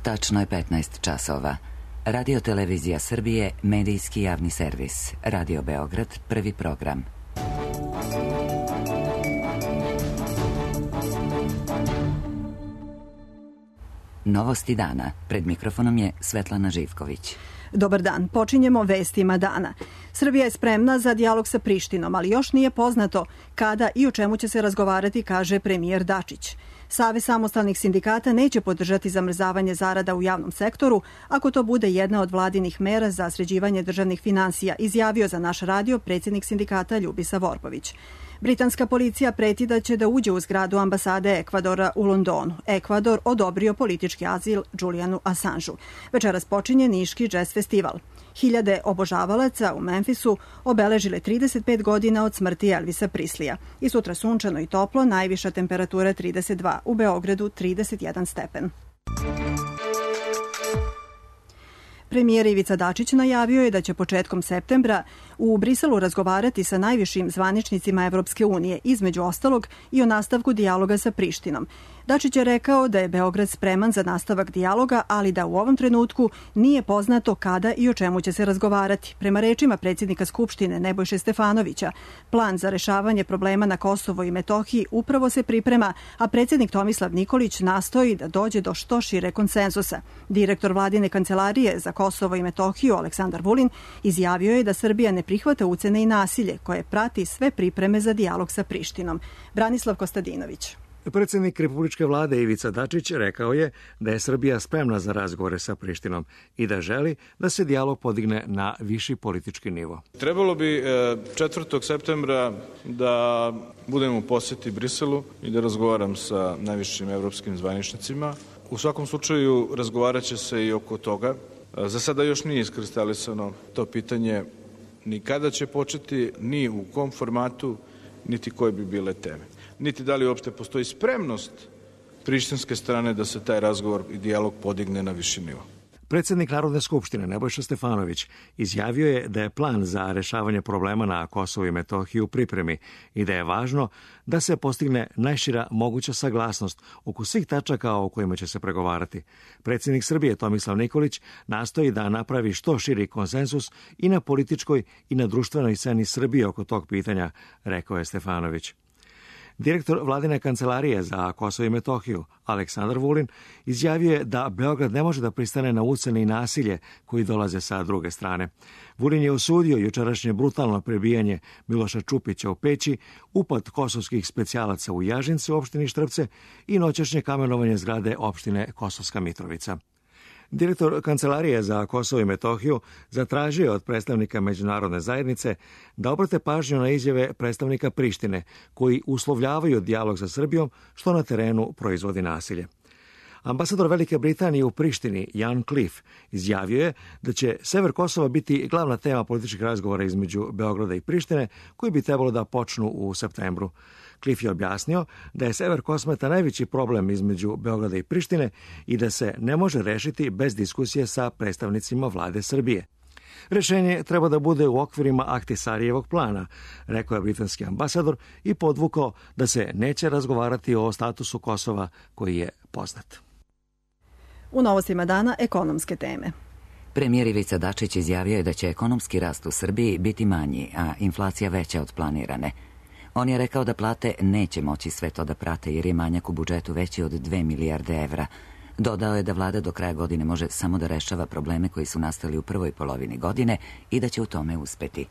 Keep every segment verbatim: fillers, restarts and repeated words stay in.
Tačno je petnaest časova. Radio Televizija Srbije, medijski javni servis. Radio Beograd, prvi program. Novosti dana. Pred mikrofonom je Svetlana Živković. Dobar dan. Počinjemo vestima dana. Srbija je spremna za dijalog sa Prištinom, ali još nije poznato kada i o čemu će se razgovarati, kaže premijer Dačić. Savez samostalnih sindikata neće podržati zamrzavanje zarada u javnom sektoru ako to bude jedna od vladinih mera za sređivanje državnih finansija, izjavio za naš radio predsjednik sindikata Ljubisa Vorbović. Britanska policija preti da će da uđe u zgradu ambasade Ekvadora u Londonu. Ekvador odobrio politički azil Julianu Assangeu. Večeras počinje Niški džez festival. Hiljade obožavalaca u Memphisu obeležile trideset pet godina od smrti Elvisa Prislija. I sutra sunčano i toplo, najviša temperatura trideset dva, u Beogradu trideset jedan stepen. Premijer Ivica Dačić najavio je da će početkom septembra u Briselu razgovarati sa najvišim zvaničnicima Evropske unije, između ostalog i o nastavku dijaloga sa Prištinom. Dačić je rekao da je Beograd spreman za nastavak dijaloga, ali da u ovom trenutku nije poznato kada i o čemu će se razgovarati. Prema rečima predsjednika Skupštine Nebojše Stefanovića, plan za rešavanje problema na Kosovo i Metohiji upravo se priprema, a predsjednik Tomislav Nikolić nastoji da dođe do što šire konsenzusa. Direktor vladine kancelarije za Kosovo i Metohiju Aleksandar Vulin izjavio je da Srbija ne prihvata ucene i nasilje koje prati sve pripreme za dijalog sa Prištinom. Branislav Kostadinović. Predsjednik Republičke vlade Ivica Dačić rekao je da je Srbija spremna za razgovore sa Prištinom i da želi da se dijalog podigne na viši politički nivo. Trebalo bi četvrtog septembra da budem u posjeti Briselu i da razgovaram sa najvišim evropskim zvaničnicima. U svakom slučaju razgovarat će se i oko toga. Za sada još nije iskristalisano to pitanje ni kada će početi, ni u kom formatu, niti koje bi bile teme. Niti da li uopšte postoji spremnost prištinske strane da se taj razgovor i dijalog podigne na viši nivo. Predsjednik Narodne skupštine Nebojša Stefanović izjavio je da je plan za rešavanje problema na Kosovu i Metohiji u pripremi i da je važno da se postigne najšira moguća saglasnost oko svih tačaka o kojima će se pregovarati. Predsjednik Srbije Tomislav Nikolić nastoji da napravi što širi konsenzus i na političkoj i na društvenoj sceni Srbije oko tog pitanja, rekao je Stefanović. Direktor vladine kancelarije za Kosovo i Metohiju, Aleksandar Vulin, izjavio je da Beograd ne može da pristane na ucene i nasilje koji dolaze sa druge strane. Vulin je osudio jučerašnje brutalno prebijanje Miloša Čupića u Peći, upad kosovskih specijalaca u Jažince u opštini Štrpce i noćašnje kamenovanje zgrade opštine Kosovska Mitrovica. Direktor Kancelarije za Kosovo i Metohiju zatražio je od predstavnika međunarodne zajednice da obrate pažnju na izjave predstavnika Prištine koji uslovljavaju dijalog sa Srbijom, što na terenu proizvodi nasilje. Ambasador Velike Britanije u Prištini, Jan Cliff, izjavio je da će sever Kosova biti glavna tema političkih razgovora između Beograda i Prištine, koji bi trebalo da počnu u septembru. Cliff je objasnio da je sever Kosmeta najveći problem između Beograda i Prištine i da se ne može rešiti bez diskusije sa predstavnicima vlade Srbije. Rešenje treba da bude u okvirima Ahtisarijevog plana, rekao je britanski ambasador i podvukao da se neće razgovarati o statusu Kosova koji je poznat. U novostima dana ekonomske teme. Premijer Ivica Dačić izjavio je da će ekonomski rast u Srbiji biti manji, a inflacija veća od planirane. On je rekao da plate neće moći sve to da prate jer je manjak u budžetu veći od dve milijarde evra. Dodao je da vlada do kraja godine može samo da rešava probleme koji su nastali u prvoj polovini godine i da će u tome uspeti.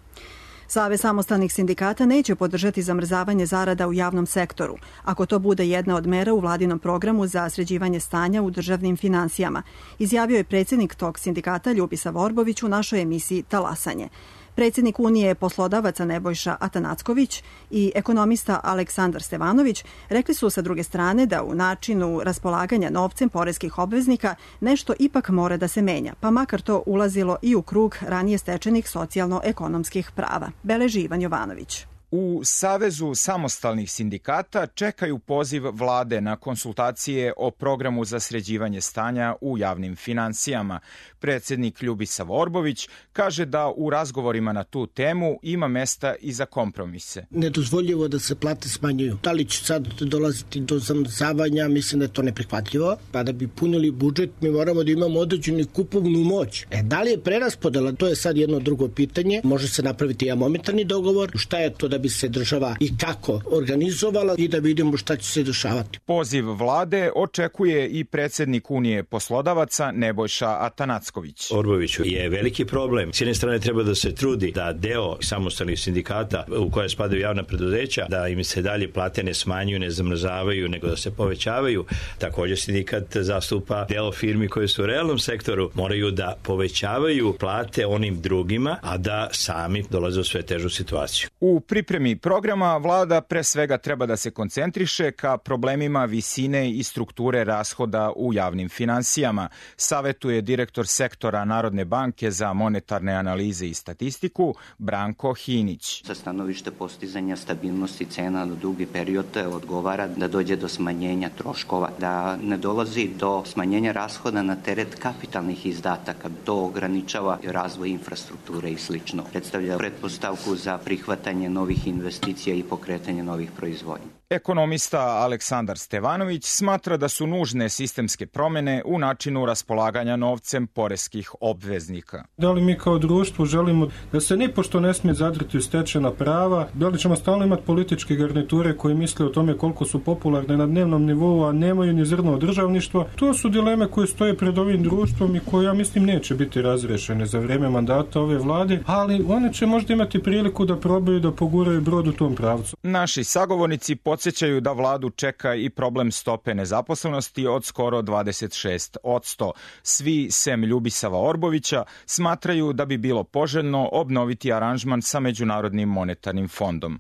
Savez samostalnih sindikata neće podržati zamrzavanje zarada u javnom sektoru, ako to bude jedna od mera u vladinom programu za sređivanje stanja u državnim finansijama, izjavio je predsjednik tog sindikata Ljubisa Vorbović u našoj emisiji Talasanje. Predsjednik Unije poslodavaca Nebojša Atanacković i ekonomista Aleksandar Stevanović rekli su sa druge strane da u načinu raspolaganja novcem poreskih obveznika nešto ipak mora da se menja, pa makar to ulazilo i u krug ranije stečenih socijalno-ekonomskih prava, beleži Ivan Jovanović. U Savezu samostalnih sindikata čekaju poziv vlade na konsultacije o programu za sređivanje stanja u javnim finansijama. Predsjednik Ljubisava Orbović kaže da u razgovorima na tu temu ima mesta i za kompromise. Nedozvoljivo da se plate smanjuju. Da li će sad dolaziti do zamrzavanja, mislim da je to neprihvatljivo. Pa da bi punili budžet, mi moramo da imamo određenu kupovnu moć. E, da li je preraspodela, to je sad jedno drugo pitanje. Može se napraviti jedan momentarni dogovor. Šta je to da bi se država i kako organizovala i da vidimo šta će se dešavati. Poziv vlade očekuje i predsjednik Unije poslodavaca Nebojša Atanacković. Orboviću je veliki problem. S jedne strane treba da se trudi da deo samostalnih sindikata u koje spadaju javna preduzeća, da im se dalje plate ne smanjuju, ne zamrzavaju, nego da se povećavaju. Također sindikat zastupa deo firmi koje su u realnom sektoru, moraju da povećavaju plate onim drugima, a da sami dolaze u sve težu situaciju. U pripremi programa vlada pre svega treba da se koncentriše ka problemima visine i strukture rashoda u javnim finansijama, savetuje direktor sektora Narodne banke za monetarne analize i statistiku Branko Hinić. Sa stanovište postizanja stabilnosti cena na dugi period odgovara da dođe do smanjenja troškova, da ne dolazi do smanjenja rashoda na teret kapitalnih izdataka. To ograničava razvoj infrastrukture i slično. Predstavlja pretpostavku za prihvatanje novih investicija i pokretanje novih proizvodnja. Ekonomista Aleksandar Stevanović smatra da su nužne sistemske promjene u načinu raspolaganja novcem poreskih obveznika. Da li mi kao društvo želimo da se nipošto ne smije zadriti u stečena prava, da li ćemo stalno imati političke garniture koje misle o tome koliko su popularne na dnevnom nivou, a nemaju ni zrno od državništva. To su dileme koje stoje pred ovim društvom i koje, ja mislim, neće biti razrešene za vrijeme mandata ove vlade, ali one će možda imati priliku da probaju da poguraju brod u tom pravcu. Naši sagovornici podsjećaju da vladu čeka i problem stope nezaposlenosti od skoro dvadeset šest posto. Svi, sem Ljubisava Orbovića, smatraju da bi bilo poželjno obnoviti aranžman sa Međunarodnim monetarnim fondom.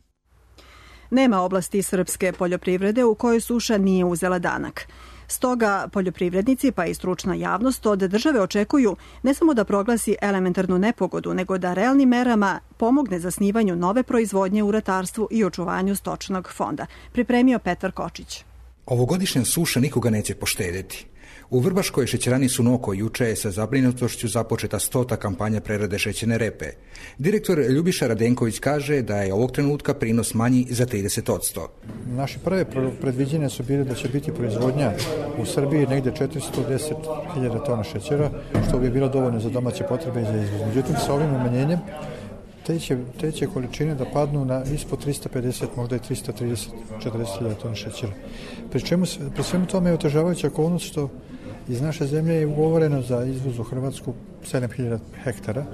Nema oblasti srpske poljoprivrede u kojoj suša nije uzela danak. Stoga poljoprivrednici pa i stručna javnost od države očekuju ne samo da proglasi elementarnu nepogodu, nego da realnim merama pomogne zasnivanju nove proizvodnje u ratarstvu i očuvanju stočnog fonda. Pripremio Petar Kočić. Ovogodišnja suša nikoga neće poštedjeti. U Vrbaškoj šećerani Sunoko juče je sa zabrinutošću započeta stota kampanja prerade šećerne repe. Direktor Ljubiša Radenković kaže da je ovog trenutka prinos manji za trideset posto. Naše prve predviđenja su bile da će biti proizvodnja u Srbiji negdje četiristo deset hiljada tona šećera, što bi bilo dovoljno za domaće potrebe i za izvoz. Međutim, sa ovim umanjenjem te će, te će količine da padnu na ispod tristo pedeset, možda i tristo trideset do četrdeset hiljada tona šećera. Pri čemu, pri svemu tome je otežavajuća okolnost što iz naše zemlje je ugovoreno za izvoz u Hrvatsku sedam hiljada hektara,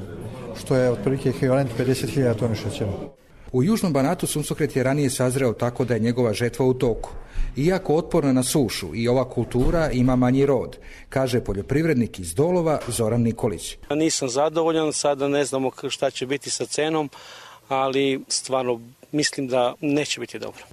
što je otprilike ekvivalent pedeset hiljada tona šećera. U Južnom Banatu suncokret je ranije sazreo tako da je njegova žetva u toku. Iako otporna na sušu i ova kultura ima manji rod, kaže poljoprivrednik iz Dolova Zoran Nikolić. Nisam zadovoljan, sada ne znamo šta će biti sa cenom, ali stvarno mislim da neće biti dobro.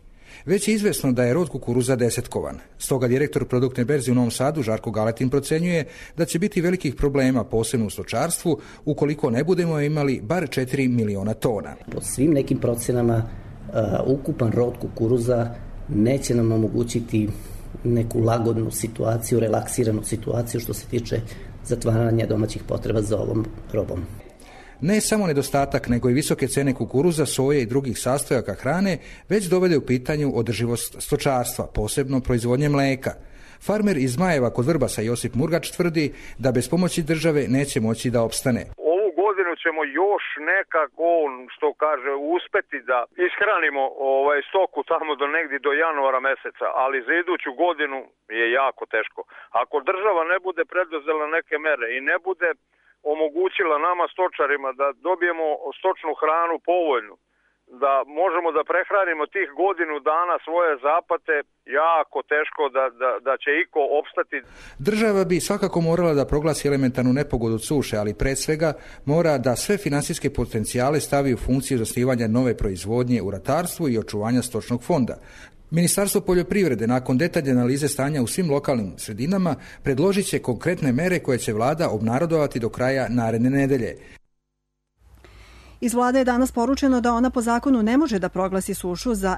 Već je izvesno da je rod kukuruza desetkovan. Stoga direktor produktne berze u Novom Sadu, Žarko Galetin, procenjuje da će biti velikih problema, posebno u stočarstvu, ukoliko ne budemo imali bar četiri miliona tona. Po svim nekim procenama, uh, ukupan rod kukuruza neće nam omogućiti neku lagodnu situaciju, relaksiranu situaciju što se tiče zatvaranja domaćih potreba za ovom robom. Ne samo nedostatak, nego i visoke cene kukuruza, soje i drugih sastojaka hrane već dovede u pitanju održivost stočarstva, posebno proizvodnje mleka. Farmer iz Zmajeva kod Vrbasa Josip Murgač tvrdi da bez pomoći države neće moći da opstane. Ovu godinu ćemo još nekako, što kaže, uspeti da ishranimo ovaj stoku tamo do negdje do januara meseca, ali za iduću godinu je jako teško. Ako država ne bude preduzela neke mere i ne bude omogućila nama stočarima da dobijemo stočnu hranu povoljnu, da možemo da prehranimo tih godinu dana svoje zapate, jako teško da, da, da će iko opstati. Država bi svakako morala da proglasi elementarnu nepogodu od suše, ali pred svega mora da sve finansijske potencijale stavi u funkciju zasnivanja nove proizvodnje u ratarstvu i očuvanja stočnog fonda. Ministarstvo poljoprivrede nakon detaljne analize stanja u svim lokalnim sredinama predložit će konkretne mere koje će vlada obnarodovati do kraja naredne nedelje. Iz vlade je danas poručeno da ona po zakonu ne može da proglasi sušu za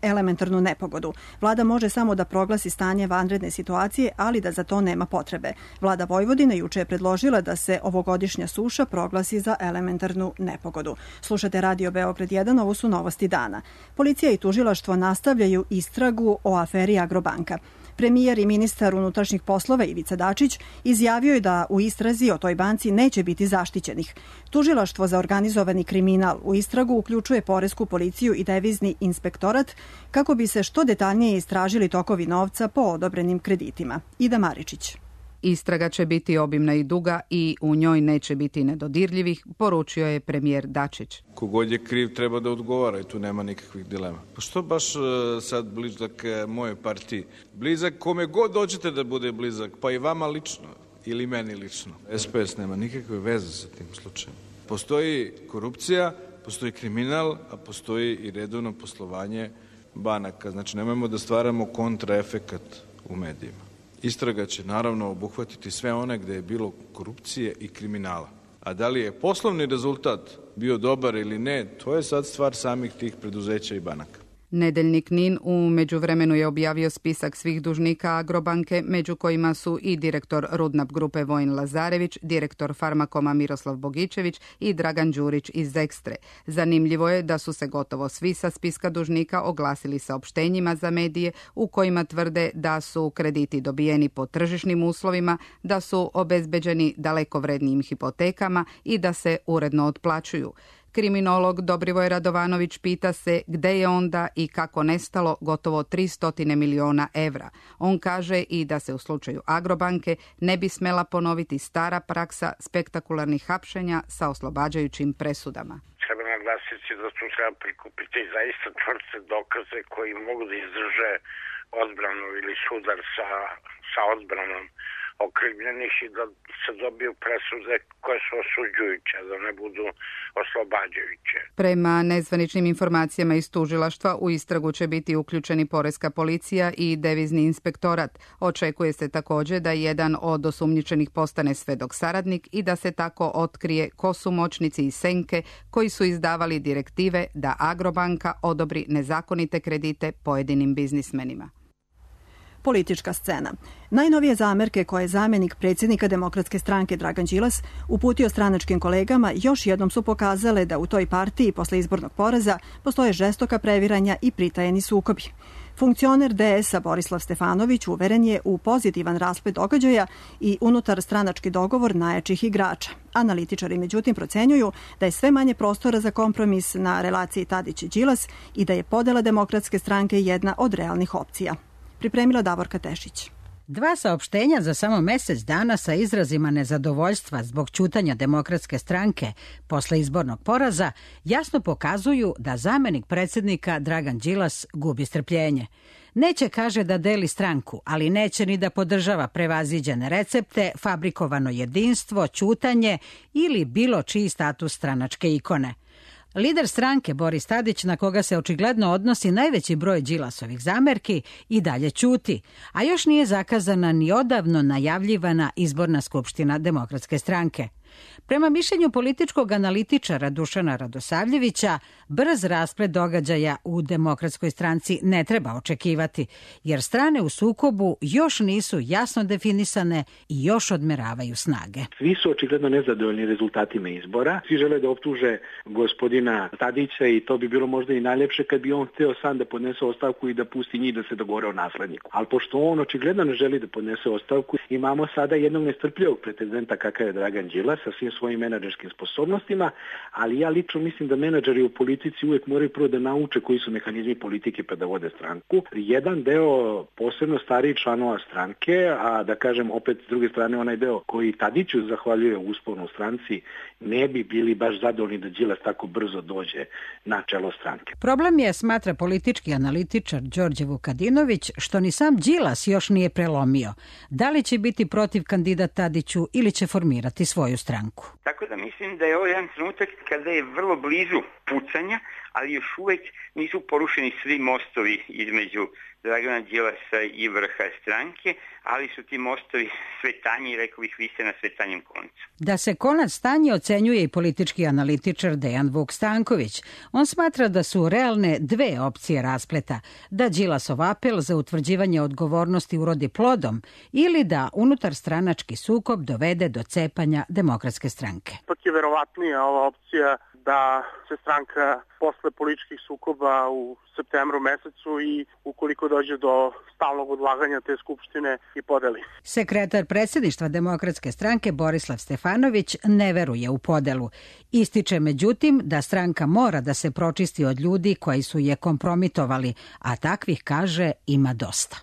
elementarnu nepogodu. Vlada može samo da proglasi stanje vanredne situacije, ali da za to nema potrebe. Vlada Vojvodine juče je predložila da se ovogodišnja suša proglasi za elementarnu nepogodu. Slušate Radio Beograd jedan, ovo su novosti dana. Policija i tužilaštvo nastavljaju istragu o aferi Agrobanka. Premijer i ministar unutrašnjih poslova Ivica Dačić izjavio je da u istrazi o toj banci neće biti zaštićenih. Tužilaštvo za organizovani kriminal u istragu uključuje poresku policiju i devizni inspektorat kako bi se što detaljnije istražili tokovi novca po odobrenim kreditima. Ida Maričić. Istraga će biti obimna i duga i u njoj neće biti nedodirljivih, poručio je premijer Dačić. Kogod je kriv treba da odgovara i tu nema nikakvih dilema. Pa što baš sad blizak moje partiji? Blizak kome god dođete da bude blizak, pa i vama lično ili meni lično. S P S nema nikakve veze sa tim slučajem. Postoji korupcija, postoji kriminal, a postoji i redovno poslovanje banaka. Znači nemojmo da stvaramo kontraefekat u medijima. Istraga će naravno obuhvatiti sve one gde je bilo korupcije i kriminala. A da li je poslovni rezultat bio dobar ili ne, to je sad stvar samih tih preduzeća i banaka. Nedeljnik NIN u međuvremenu je objavio spisak svih dužnika Agrobanke, među kojima su i direktor Rudnap grupe Vojin Lazarević, direktor Farmakoma Miroslav Bogićević i Dragan Đurić iz Ekstre. Zanimljivo je da su se gotovo svi sa spiska dužnika oglasili saopštenjima za medije u kojima tvrde da su krediti dobijeni po tržišnim uslovima, da su obezbeđeni daleko vrednijim hipotekama i da se uredno otplaćuju. Kriminolog Dobrivoj Radovanović pita se gde je onda i kako nestalo gotovo tristo miliona evra. On kaže i da se u slučaju Agrobanke ne bi smela ponoviti stara praksa spektakularnih hapšenja sa oslobađajućim presudama. Treba naglasiti da tu treba prikupiti zaista čvrste dokaze koji mogu da izdrže odbranu ili sudar sa, sa odbranom okrivljenih i da se dobiju presude koje su osuđujuće, da ne budu oslobađajuće. Prema nezvaničnim informacijama iz tužilaštva u istragu će biti uključeni poreska policija i devizni inspektorat. Očekuje se također da jedan od osumnjičenih postane svedok saradnik i da se tako otkrije ko su moćnici i senke koji su izdavali direktive da Agrobanka odobri nezakonite kredite pojedinim biznismenima. Politička scena. Najnovije zamerke koje je zamjenik predsjednika Demokratske stranke Dragan Đilas uputio stranačkim kolegama još jednom su pokazale da u toj partiji posle izbornog poraza postoje žestoka previranja i pritajeni sukobi. Funkcioner D S-a Borislav Stefanović uveren je u pozitivan rasplet događaja i unutar stranački dogovor najjačih igrača. Analitičari međutim procenjuju da je sve manje prostora za kompromis na relaciji Tadić-Đilas i da je podela Demokratske stranke jedna od realnih opcija. Pripremila Davorka Tešić. Dva saopštenja za samo mjesec dana sa izrazima nezadovoljstva zbog ćutanja Demokratske stranke posle izbornog poraza jasno pokazuju da zamjenik predsjednika Dragan Đilas gubi strpljenje. Neće, kaže, da deli stranku, ali neće ni da podržava prevaziđene recepte, fabrikovano jedinstvo, ćutanje ili bilo čiji status stranačke ikone. Lider stranke Boris Tadić, na koga se očigledno odnosi najveći broj Đilasovih zamerki, i dalje ćuti, a još nije zakazana ni odavno najavljivana izborna skupština Demokratske stranke. Prema mišljenju političkog analitičara Dušana Radosavljevića, brz rasplet događaja u Demokratskoj stranci ne treba očekivati, jer strane u sukobu još nisu jasno definisane i još odmeravaju snage. Svi su očigledno nezadovoljni rezultatima izbora. Svi žele da optuže gospodina Tadića i to bi bilo možda i najljepše kad bi on hteo sam da podnese ostavku i da pusti njih da se dogovore o nasledniku. Ali pošto on očigledno ne želi da podnese ostavku, imamo sada jednog nestrpljivog pretendenta kakav je Dragan Đilas sa svim svojim menadžerskim sposobnostima, ali ja lično mislim da menadžeri u politici uvijek moraju prvo da nauče koji su mehanizmi politike pa da vode stranku. Jedan deo posebno stariji članova stranke, a da kažem opet s druge strane onaj deo koji Tadiću zahvaljuje usponu u stranci, ne bi bili baš zadovoljni da Đilas tako brzo dođe na čelo stranke. Problem je, smatra politički analitičar Đorđe Vukadinović, što ni sam Đilas još nije prelomio. Da li će biti protiv kandidat Tadiću ili će formirati svoju stranku? Tako da mislim da je ovo jedan trenutak kada je vrlo blizu pucanja, ali još uvek nisu porušeni svi mostovi između Dragana Đilasa i vrha stranke, ali su ti mostovi sve tanji i rekao bih vise na sve tanjem koncu. Da se konac stanje ocenjuje i politički analitičar Dejan Vuk Stanković. On smatra da su realne dve opcije raspleta, da Đilasov apel za utvrđivanje odgovornosti urodi plodom ili da unutar stranački sukob dovede do cepanja Demokratske stranke. Ipak je verovatnija ova opcija da se stranka posle političkih sukoba u septembru mesecu i ukoliko dođe do stalnog odlaganja te skupštine i podeli. Sekretar predsjedništva Demokratske stranke Borislav Stefanović ne veruje u podelu. Ističe međutim da stranka mora da se pročisti od ljudi koji su je kompromitovali, a takvih, kaže, ima dosta.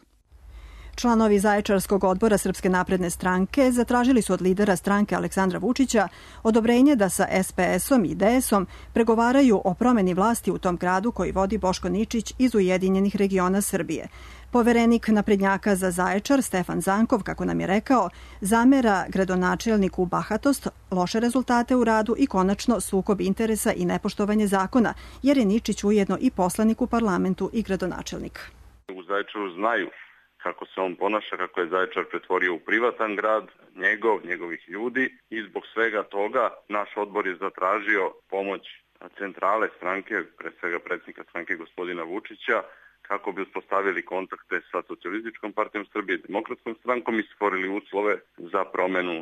Članovi Zaječarskog odbora Srpske napredne stranke zatražili su od lidera stranke Aleksandra Vučića odobrenje da sa es pe esom i de esom pregovaraju o promeni vlasti u tom gradu koji vodi Boško Ničić iz Ujedinjenih regiona Srbije. Poverenik naprednjaka za Zaječar Stefan Zankov, kako nam je rekao, zamera gradonačelniku bahatost, loše rezultate u radu i konačno sukob interesa i nepoštovanje zakona, jer je Ničić ujedno i poslanik u parlamentu i gradonačelnik. U Zaječaru znaju kako se on ponaša, kako je Zaječar pretvorio u privatan grad, njegov, njegovih ljudi i zbog svega toga naš odbor je zatražio pomoć centrale stranke, pre svega predsjednika stranke gospodina Vučića, kako bi uspostavili kontakte sa Socijalističkom partijom Srbije i Demokratskom strankom i stvorili uslove za promenu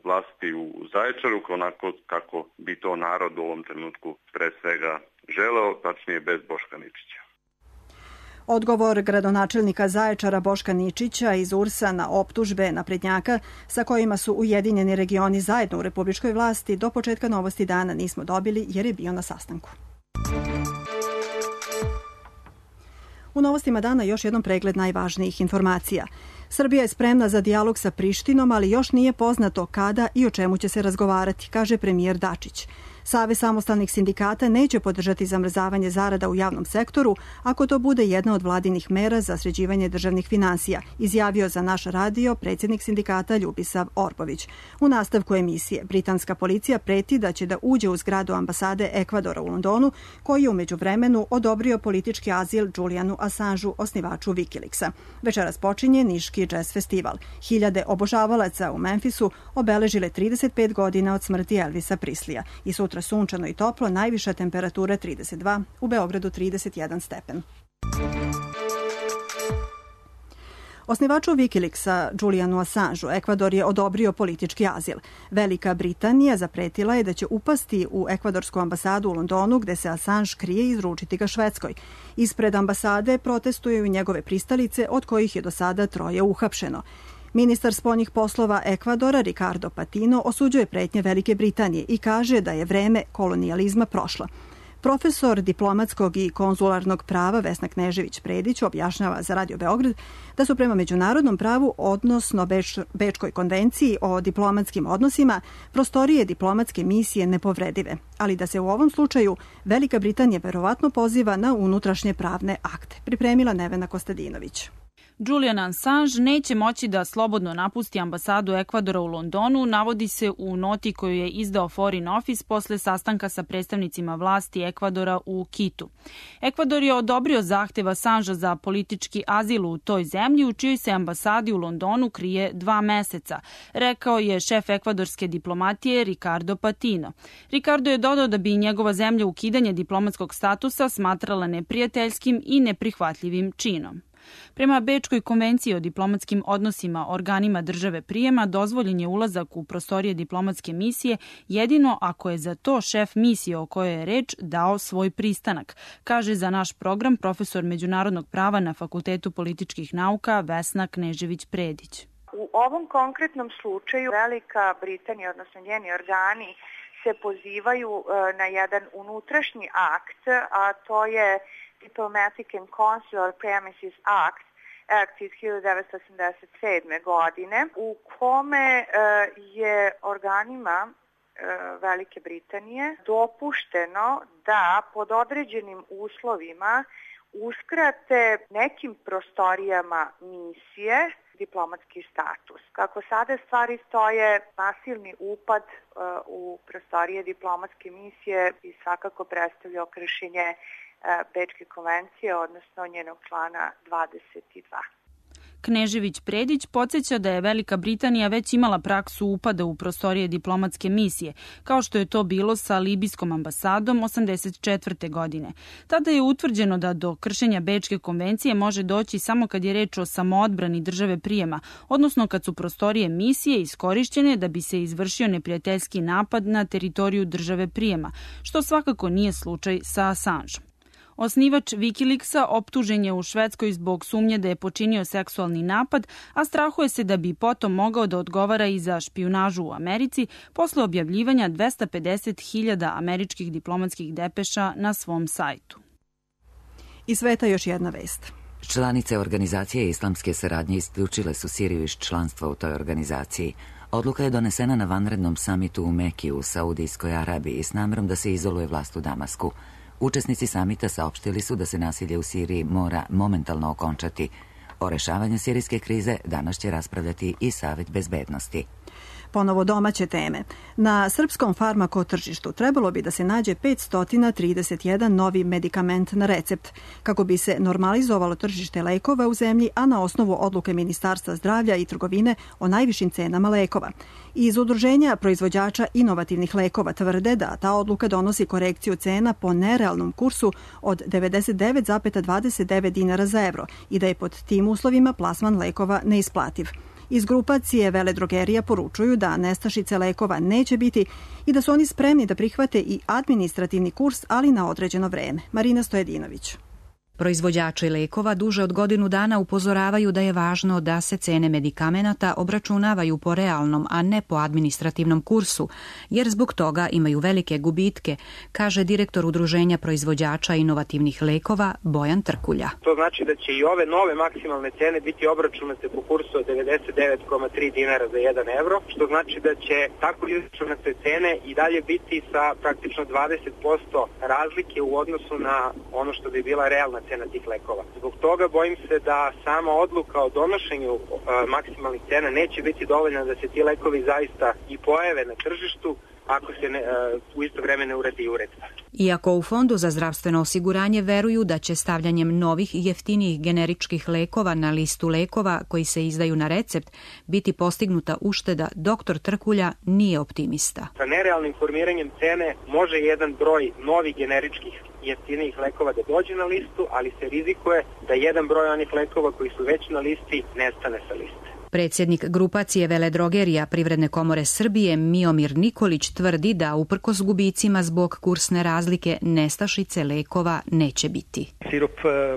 vlasti u Zaječaru, onako kako bi to narod u ovom trenutku pre svega želeo, tačnije bez Boška Ničića. Odgovor gradonačelnika Zaječara Boška Ničića iz U R S-a na optužbe naprednjaka sa kojima su Ujedinjeni regioni zajedno u republičkoj vlasti do početka Novosti dana nismo dobili jer je bio na sastanku. U Novostima dana još jednom pregled najvažnijih informacija. Srbija je spremna za dijalog sa Prištinom, ali još nije poznato kada i o čemu će se razgovarati, kaže premijer Dačić. Savez samostalnih sindikata neće podržati zamrzavanje zarada u javnom sektoru ako to bude jedna od vladinih mera za sređivanje državnih finansija, izjavio za naš radio predsjednik sindikata Ljubisav Orbović. U nastavku emisije britanska policija preti da će da uđe u zgradu ambasade Ekvadora u Londonu, koji je u međuvremenu odobrio politički azil Julianu Assangeu, osnivaču Wikileaksa. Večeras počinje Niški jazz festival. Hiljade obožavalaca u Memphisu obeležile trideset pet godina od smrti Elvisa Prislija i sutra sunčano i toplo, najviša temperatura trideset dva, u Beogradu trideset jedan stepen. Osnivaču Wikileaksa Julianu Assangeu Ekvador je odobrio politički azil. Velika Britanija zapretila je da će upasti u ekvadorsku ambasadu u Londonu gde se Assange krije i izručiti ga Švedskoj. Ispred ambasade protestuju njegove pristalice, od kojih je do sada troje uhapšeno. Ministar spoljnih poslova Ekvadora Ricardo Patino osuđuje pretnje Velike Britanije i kaže da je vreme kolonijalizma prošlo. Profesor diplomatskog i konzularnog prava Vesna Knežević-Predić objašnjava za Radio Beograd da su prema međunarodnom pravu, odnosno Beč, Bečkoj konvenciji o diplomatskim odnosima, prostorije diplomatske misije nepovredive, ali da se u ovom slučaju Velika Britanija verovatno poziva na unutrašnje pravne akte. Pripremila Nevena Kostadinović. Julian Assange neće moći da slobodno napusti ambasadu Ekvadora u Londonu, navodi se u noti koju je izdao Foreign Office posle sastanka sa predstavnicima vlasti Ekvadora u Kitu. Ekvador je odobrio zahtev Assangea za politički azil u toj zemlji, u čijoj se ambasadi u Londonu krije dva meseca, rekao je šef ekvadorske diplomatije Ricardo Patino. Ricardo je dodao da bi njegova zemlja ukidanje diplomatskog statusa smatrala neprijateljskim i neprihvatljivim činom. Prema Bečkoj konvenciji o diplomatskim odnosima organima države prijema dozvoljen je ulazak u prostorije diplomatske misije jedino ako je za to šef misije o kojoj je reč dao svoj pristanak, kaže za naš program profesor međunarodnog prava na Fakultetu političkih nauka Vesna Knežević-Predić. U ovom konkretnom slučaju Velika Britanija, odnosno njeni organi, se pozivaju na jedan unutrašnji akt, a to je Diplomatic and Consular Premises Act, Act iz hiljadu devetsto osamdeset sedme. godine, u kome je organima Velike Britanije dopušteno da pod određenim uslovima uskrate nekim prostorijama misije diplomatski status. Kako sada stvari stoje, nasilni upad uh, u prostorije diplomatske misije bi svakako predstavljao kršenje uh, Bečke konvencije, odnosno njenog člana dvadeset dva. Knežević Predić podsjeća da je Velika Britanija već imala praksu upada u prostorije diplomatske misije, kao što je to bilo sa libijskom ambasadom osamdeset četvrte. godine. Tada je utvrđeno da do kršenja Bečke konvencije može doći samo kad je reč o samoodbrani države prijema, odnosno kad su prostorije misije iskorišćene da bi se izvršio neprijateljski napad na teritoriju države prijema, što svakako nije slučaj sa Assangeom. Osnivač Wikileaksa optužen je u Švedskoj zbog sumnje da je počinio seksualni napad, a strahuje se da bi potom mogao da odgovara i za špijunažu u Americi posle objavljivanja dvesta pedeset hiljada američkih diplomatskih depeša na svom sajtu. Iz sveta još jedna vest. Članice organizacije islamske saradnje isključile su Siriju iz članstva u toj organizaciji. Odluka je donesena na vanrednom samitu u Meki u Saudijskoj Arabiji s namjerom da se izoluje vlast u Damasku. Učesnici samita saopštili su da se nasilje u Siriji mora momentalno okončati. O rešavanju sirijske krize danas će raspravljati i Savet bezbednosti. Ponovo domaće teme. Na srpskom farmako tržištu trebalo bi da se nađe petsto trideset jedan novi medikament na recept, kako bi se normalizovalo tržište lekova u zemlji, a na osnovu odluke Ministarstva zdravlja i trgovine o najvišim cenama lekova. Iz udruženja proizvođača inovativnih lekova tvrde da ta odluka donosi korekciju cena po nerealnom kursu od devedeset devet zarez dvadeset devet dinara za evro i da je pod tim uslovima plasman lekova neisplativ. Iz grupacije veledrogerija poručuju da nestašice lekova neće biti i da su oni spremni da prihvate i administrativni kurs, ali na određeno vreme. Marina Stojedinović. Proizvođači lekova duže od godinu dana upozoravaju da je važno da se cene medikamenata obračunavaju po realnom, a ne po administrativnom kursu, jer zbog toga imaju velike gubitke, kaže direktor Udruženja proizvođača inovativnih lekova Bojan Trkulja. To znači da će i ove nove maksimalne cene biti obračunate po kursu od devedeset devet zarez tri dinara za jedan evro, što znači da će tako izračunate cene i dalje biti sa praktično dvadeset posto razlike u odnosu na ono što bi bila realna cena tih lekova. Zbog toga bojim se da sama odluka o donošenju uh, maksimalnih cena neće biti dovoljna da se ti lekovi zaista i pojave na tržištu ako se ne, uh, u isto vreme ne uredi uredba. Iako u Fondu za zdravstveno osiguranje veruju da će stavljanjem novih i jeftinijih generičkih lekova na listu lekova koji se izdaju na recept biti postignuta ušteda, doktor Trkulja nije optimista. Sa nerealnim formiranjem cene može jedan broj novih generičkih jeftinijih lekova da dođe na listu, ali se rizikuje da jedan broj onih lekova koji su već na listi nestane sa liste. Predsjednik grupacije veledrogerija Privredne komore Srbije Miomir Nikolić tvrdi da uprkos gubicima zbog kursne razlike nestašice lekova neće biti. Sirup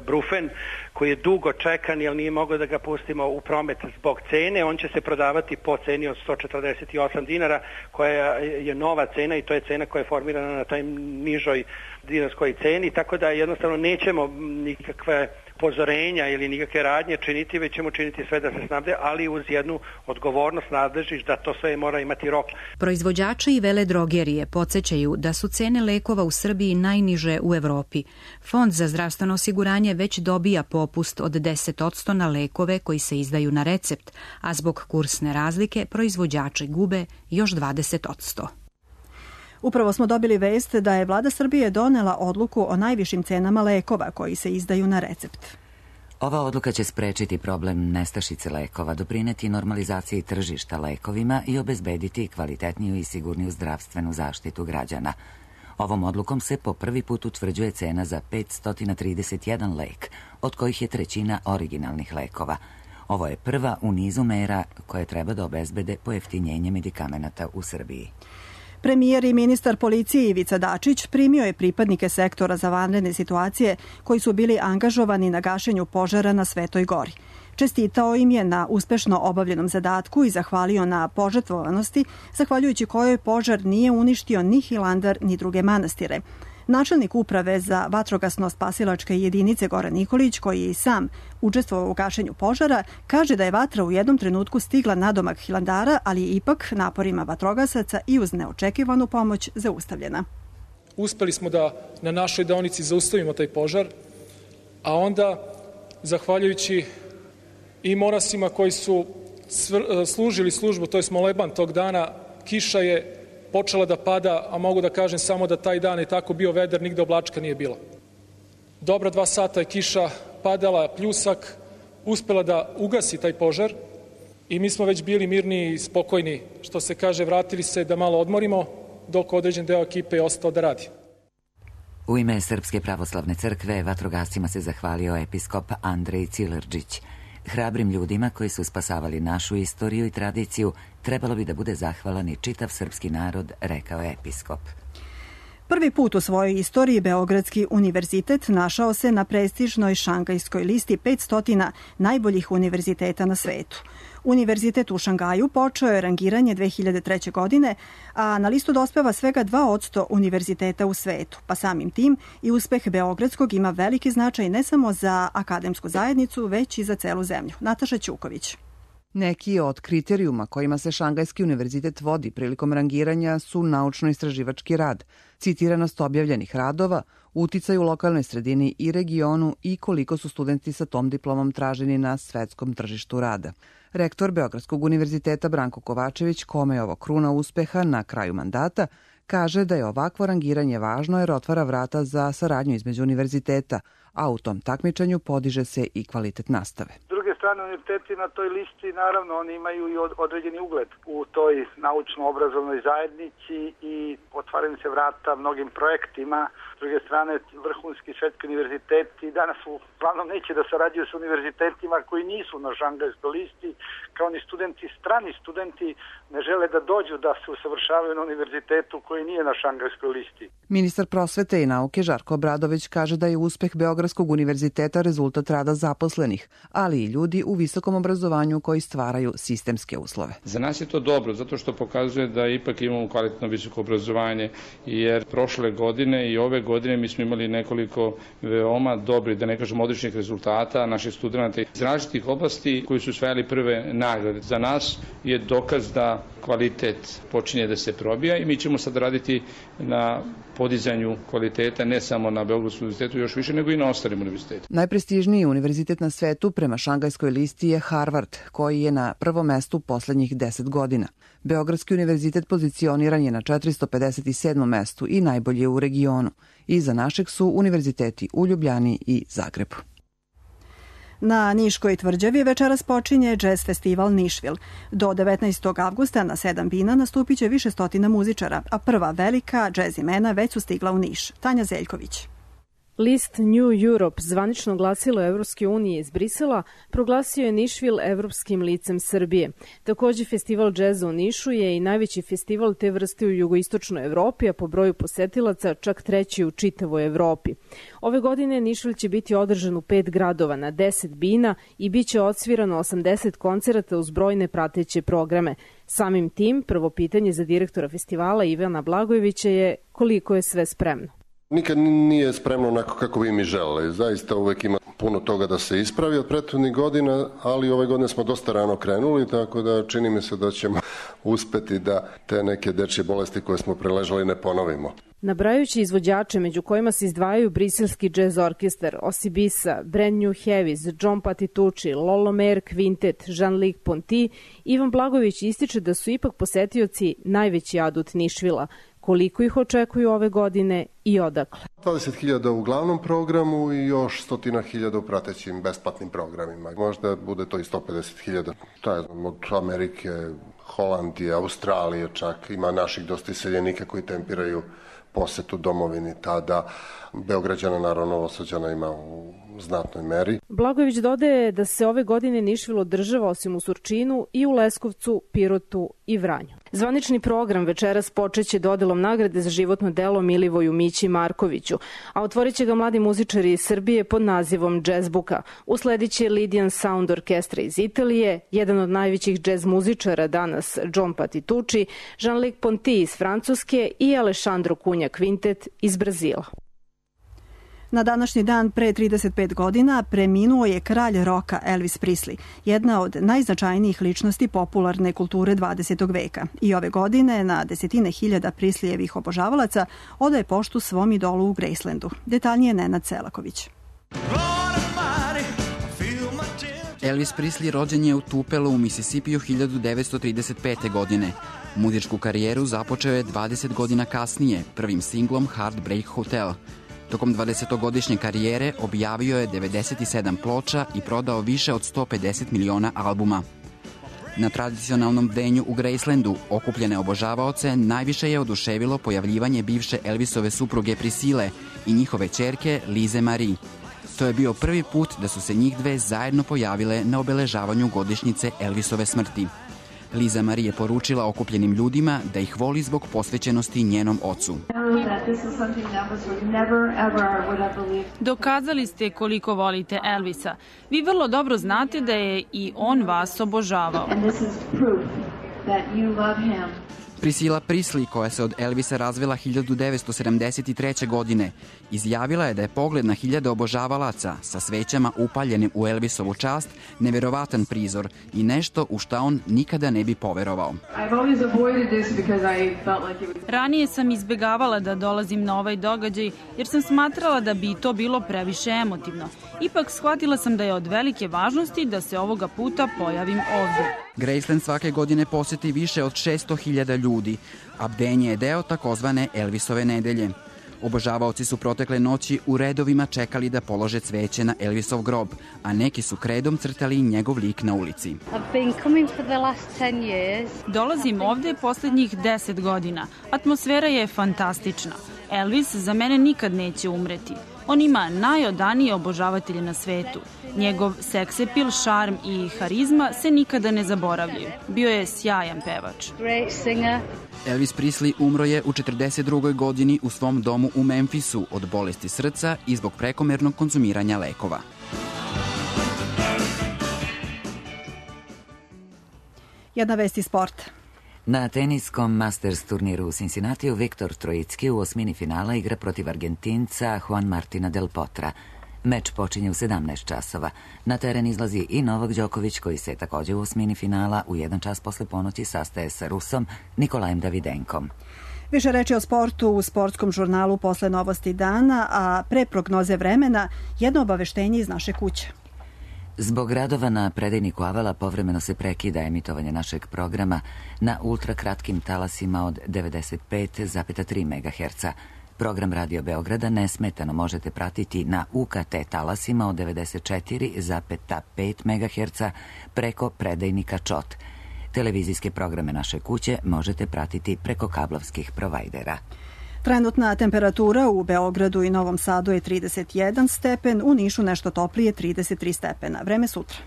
Brufen koji je dugo čekan jer nije mogao da ga pustimo u promet zbog cene, on će se prodavati po ceni od sto četrdeset osam dinara koja je nova cena i to je cena koja je formirana na toj nižoj dinarskoj ceni, tako da jednostavno nećemo nikakve pozorenja ili nikakve radnje činiti, već ćemo činiti sve da se snabde, ali uz jednu odgovornost nadležiš da to sve mora imati rok. Proizvođači i veledrogerije podsjećaju da su cene lekova u Srbiji najniže u Evropi. Fond za zdravstveno osiguranje već dobija popust od deset posto na lekove koji se izdaju na recept, a zbog kursne razlike proizvođači gube još dvadeset posto. Upravo smo dobili vest da je vlada Srbije donela odluku o najvišim cenama lekova koji se izdaju na recept. Ova odluka će sprečiti problem nestašice lekova, doprineti normalizaciji tržišta lekovima i obezbediti kvalitetniju i sigurniju zdravstvenu zaštitu građana. Ovom odlukom se po prvi put utvrđuje cena za petsto trideset jedan lek, od kojih je trećina originalnih lekova. Ovo je prva u nizu mera koje treba da obezbede pojeftinjenje medikamenata u Srbiji. Premijer i ministar policije Ivica Dačić primio je pripadnike sektora za vanredne situacije koji su bili angažovani na gašenju požara na Svetoj Gori. Čestitao im je na uspešno obavljenom zadatku i zahvalio na požrtvovanosti, zahvaljujući kojoj požar nije uništio ni Hilandar ni druge manastire. Načelnik uprave za vatrogasno-spasilačke jedinice Goran Nikolić, koji je i sam učestvovao u gašenju požara, kaže da je vatra u jednom trenutku stigla nadomak Hilandara, ali je ipak naporima vatrogasaca i uz neočekivanu pomoć zaustavljena. Uspeli smo da na našoj deonici zaustavimo taj požar, a onda, zahvaljujući i monasima koji su služili službu, to je moleban tog dana. Kiša je počela da pada, a mogu da kažem samo da taj dan je tako bio vedar, nigde oblačka nije bilo. Dobra dva sata je kiša padala, pljusak, uspela da ugasi taj požar i mi smo već bili mirni i spokojni, što se kaže, vratili se da malo odmorimo, dok određen deo ekipe je ostao da radi. U ime Srpske pravoslavne crkve vatrogascima se zahvalio episkop Andrej Cilerđić. Hrabrim ljudima koji su spasavali našu istoriju i tradiciju trebalo bi da bude zahvalan i čitav srpski narod, rekao je episkop. Prvi put u svojoj istoriji Beogradski univerzitet našao se na prestižnoj šangajskoj listi petsto najboljih univerziteta na svetu. Univerzitet u Šangaju počeo je rangiranje dve hiljade treće. godine, a na listu dospeva svega dva posto univerziteta u svetu, pa samim tim i uspeh Beogradskog ima veliki značaj ne samo za akademsku zajednicu, već i za celu zemlju. Nataša Ćuković. Neki od kriterijuma kojima se Šangajski univerzitet vodi prilikom rangiranja su naučno-istraživački rad, citiranost objavljenih radova, uticaj u lokalnoj sredini i regionu i koliko su studenti sa tom diplomom traženi na svetskom tržištu rada. Rektor Beogradskog univerziteta Branko Kovačević, kome je ovo kruna uspeha na kraju mandata, kaže da je ovakvo rangiranje važno jer otvara vrata za saradnju između univerziteta, a u tom takmičenju podiže se i kvalitet nastave. S druge strane, univerziteti na toj listi, naravno, oni imaju i određeni ugled u toj naučno-obrazovnoj zajednici i otvaraju se vrata mnogim projektima. S druge strane, vrhunski svetski univerziteti danas uglavnom neće da sarađuju sa univerzitetima koji nisu na šangajskoj listi, kao ni studenti, strani studenti ne žele da dođu da se usavršavaju na univerzitetu koji nije na šangajskoj listi. Ministar prosvete i nauke Žarko Obradović kaže da je uspeh Beogradskog univerziteta rezultat rada zaposlenih, ali i ljudi u visokom obrazovanju koji stvaraju sistemske uslove. Za nas je to dobro, zato što pokazuje da ipak imamo kvalitetno visoko obrazovanje, jer prošle godine i ove godine mi smo imali nekoliko veoma dobri, da ne kažem odličnih rezultata naših studenta iz različitih oblasti koji su osvajali prve nagrade. Za nas je dokaz da kvalitet počinje da se probija i mi ćemo sad raditi na podizanju kvaliteta ne samo na Beogradskom univerzitetu, još više nego i na ostalim univerzitetima. Najprestižniji univerzitet na svetu prema šangajskoj listi je Harvard, koji je na prvom mestu poslednjih deset godina. Beogradski univerzitet pozicioniran je na četiristo pedeset sedmom mestu i najbolji je u regionu. Iza našeg su univerziteti u Ljubljani i Zagrebu. Na Niškoj tvrđavi večeras počinje džez festival Nišvil. Do devetnaestog avgusta na sedam bina nastupit će više stotina muzičara, a prva velika džez imena već su stigla u Niš. Tanja Zeljković. List New Europe, zvanično glasilo Evropske unije iz Brisela, proglasio je Nišvil evropskim licem Srbije. Takođe, festival džeza u Nišu je i najveći festival te vrste u jugoistočnoj Evropi, a po broju posetilaca čak treći u čitavoj Evropi. Ove godine Nišvil će biti održan u pet gradova na deset bina i bit će odsvirano osamdeset koncerata uz brojne prateće programe. Samim tim, prvo pitanje za direktora festivala Ivana Blagojevića je koliko je sve spremno. Nikad nije spremno onako kako bi mi želeli. Zaista uvek ima puno toga da se ispravi od prethodnih godina, ali ove godine smo dosta rano krenuli, tako da čini mi se da ćemo uspeti da te neke dečje bolesti koje smo preležali ne ponovimo. Nabrajući izvođače, među kojima se izdvajaju briselski jazz orkestar, Osibisa, Brand New Heavies, John Patitucci, Lolo Mayer Quintet, Jean-Luc Ponty, Ivan Blagojević ističe da su ipak posetioci najveći adut Nišvila. Koliko ih očekuju ove godine i odakle? dvadeset hiljada u glavnom programu i još stotina hiljada u pratećim besplatnim programima. Možda bude to i sto pedeset hiljada. Šta je znam, od Amerike, Holandije, Australije čak. Ima naših dosta iseljenika koji tempiraju posetu domovini tada. Beograđana, naravno, Novosađana ima u znatnoj meri. Blagojević dodaje da se ove godine Nišvil održava osim u Surčinu i u Leskovcu, Pirotu i Vranju. Zvanični program večeras počeće dodelom nagrade za životno delo Milivoju Mići Markoviću, a otvorit će ga mladi muzičari iz Srbije pod nazivom Jazzbuka. Usledit će Lydian Sound Orkestra iz Italije, jedan od najvećih džez muzičara danas John Patitucci, Jean-Luc Ponty iz Francuske i Alessandro Cunha Quintet iz Brazila. Na današnji dan pre trideset pet godina preminuo je kralj roka Elvis Presley, jedna od najznačajnijih ličnosti popularne kulture dvadesetog veka. I ove godine na desetine hiljada Presleyevih obožavalaca odaje poštu svom idolu u Gracelandu. Detaljnije Nenad Selaković. Elvis Presley rođen je u Tupelu u Misisipiju hiljadu devetsto trideset pete. godine. Muzičku karijeru započeo je dvadeset godina kasnije, prvim singlom Heartbreak Hotel. Tokom dvadesetogodišnje karijere objavio je devedeset sedam ploča i prodao više od sto pedeset miliona albuma. Na tradicionalnom bdenju u Gracelandu okupljene obožavaoce najviše je oduševilo pojavljivanje bivše Elvisove supruge Priscille i njihove ćerke Lize Marie. To je bio prvi put da su se njih dve zajedno pojavile na obeležavanju godišnjice Elvisove smrti. Liza Marie je poručila okupljenim ljudima da ih voli zbog posvećenosti njenom ocu. Dokazali ste koliko volite Elvisa. Vi vrlo dobro znate da je i on vas obožavao. Priscilla Presley, koja se od Elvisa razvela hiljadu devetsto sedamdeset treće. godine, izjavila je da je pogled na hiljade obožavalaca sa svećama upaljenim u Elvisovu čast neverovatan prizor i nešto u šta on nikada ne bi poverovao. Ranije sam izbegavala da dolazim na ovaj događaj jer sam smatrala da bi to bilo previše emotivno. Ipak shvatila sam da je od velike važnosti da se ovoga puta pojavim ovdje. Graceland svake godine poseti više od šesto hiljada ljudi, a bdenje je deo takozvane Elvisove nedelje. Obožavaoci su protekle noći u redovima čekali da polože cveće na Elvisov grob, a neki su kredom crtali njegov lik na ulici. Dolazim ovde poslednjih deset godina. Atmosfera je fantastična. Elvis za mene nikad neće umreti. On ima najodanije obožavatelje na svetu. Njegov seksepil, šarm i harizma se nikada ne zaboravljaju. Bio je sjajan pevač. Elvis Presley umro je u četrdeset drugoj. godini u svom domu u Memphisu od bolesti srca i zbog prekomernog konzumiranja lekova. Jedna vest iz sporta. Na teniskom Masters turniru u Cincinnatiju Viktor Trojicki u osmini finala igra protiv Argentinca Juan Martina del Potra. Meč počinje u sedamnaest časova. Na teren izlazi i Novak Đoković, koji se takođe u osmini finala u jedan čas posle ponoći sastaje sa Rusom Nikolajem Davidenkom. Više reči o sportu u sportskom žurnalu posle novosti dana, a pre prognoze vremena jedno obaveštenje iz naše kuće. Zbog radova na predajniku Avala povremeno se prekida emitovanje našeg programa na ultrakratkim talasima od devedeset pet zarez tri megaherca. Program Radio Beograda nesmetano možete pratiti na U K T talasima od devedeset četiri zarez pet megaherca preko predajnika Čot. Televizijske programe naše kuće možete pratiti preko kablovskih provajdera. Trenutna temperatura u Beogradu i Novom Sadu je trideset jedan stepen, u Nišu nešto toplije trideset tri stepena. Vreme sutra.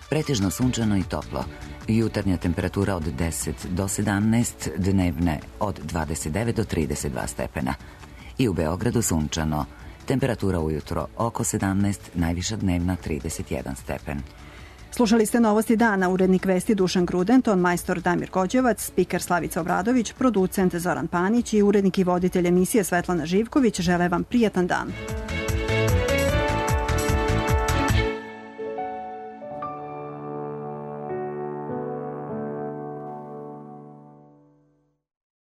Pretežno sunčano i toplo. Jutarnja temperatura od deset do sedamnaest, dnevne od dvadeset devet do trideset dva stepena. I u Beogradu sunčano. Temperatura ujutro oko sedamnaest, najviša dnevna trideset jedan stepen. Slušali ste novosti dana, urednik vesti Dušan Gruden, ton majstor Damir Kođevac, spiker Slavica Obradović, producent Zoran Panić i urednik i voditelj emisije Svetlana Živković žele vam prijatan dan.